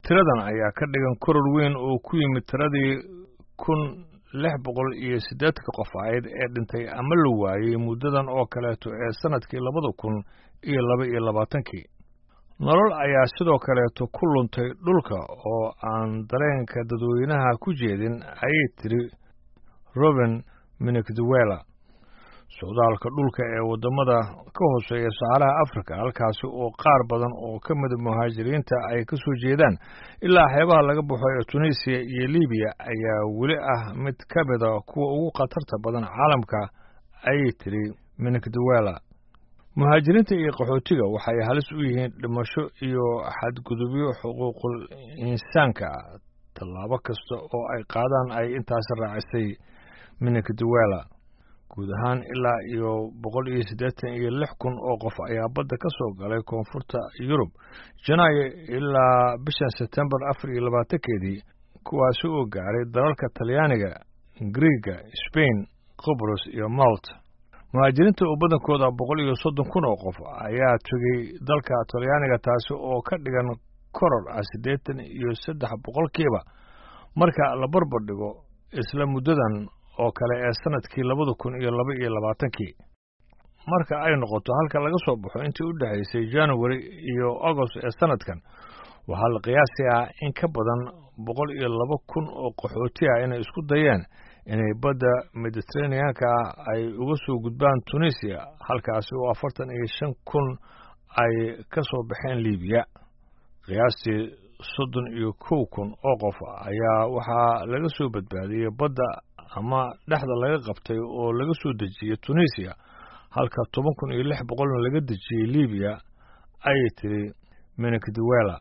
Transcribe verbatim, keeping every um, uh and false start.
Tiradan ayaa ka dhigan koror weyn oo ku yimid tiradii kun lix boqol iyo siddeetanka qof ahayd ee dhintay ama la waayey muddadan oo kaleeto ee sannadkii labada kun iyo laba iyo labaatankii. Nolol ayaa sidoo kaleeto ku luntay dhulka oo aan dareenka dadweynaha ku jeedin, ayay tiri Robin Minikduwela. Socdaalka dhulka ee waddamada ka hooseeya Saxaraha Afrika, halkaasi oo qaar badan oo ka mida muhaajiriinta ay ka soo jeedaan, ilaa xeebaha laga baxo ee Tunisiya iyo Libiya, ayaa weli ah mid ka mida kuwa ugu khatarta badan caalamka, ayay tiri Minikduwela. Muhaajiriinta iyo qaxootiga waxay halis u yihiin dhimasho iyo xadgudubyo xuquuqul insaanka ah tallaabo kasta oo ay qaadaan, ay intaasi raacisay Minikduwela. Guud ahaan ilaa iyo boqol iyo siddeetan iyo lix kun oo qof ayaa badda ka soo galay koonfurta Yurub Janaayo ilaa bishan Sebtembar afar iyo labaatankeedii, kuwaasi oo gaaray dalalka Talyaaniga, Griiga, Sbain, Qobros iyo Malta. Muhaajiriinta oo badankooda boqol iyo soddon kun oo qof ayaa tegey dalka Talyaaniga, taasi oo ka dhigan koror ah siddeetan iyo saddex boqolkiiba marka la barbar dhigo isla muddadan oo kale ee sannadkii labada kun iyo laba iyo labaatankii. Marka ay noqoto halka laga soo baxo intii u dhexaysay January iyo Agost ee sannadkan, waxaa la qiyaasayaa in ka badan boqol iyo laba kun oo qaxooti ah inay isku dayeen inay badda Mediteraneanka ay uga soo gudbaan Tunisiya, halkaasi oo afartan iyo shan kun ay ka soo baxeen Libiya. Qiyaastii soddon iyo kow kun oo qof ayaa waxaa laga soo badbaadiyey badda ama dhexda laga qabtay oo laga soo dejiyey Tunisiya, halka toban kun iyo lix boqolna laga dejiyey Libiya, ayay tiri Minikduwela.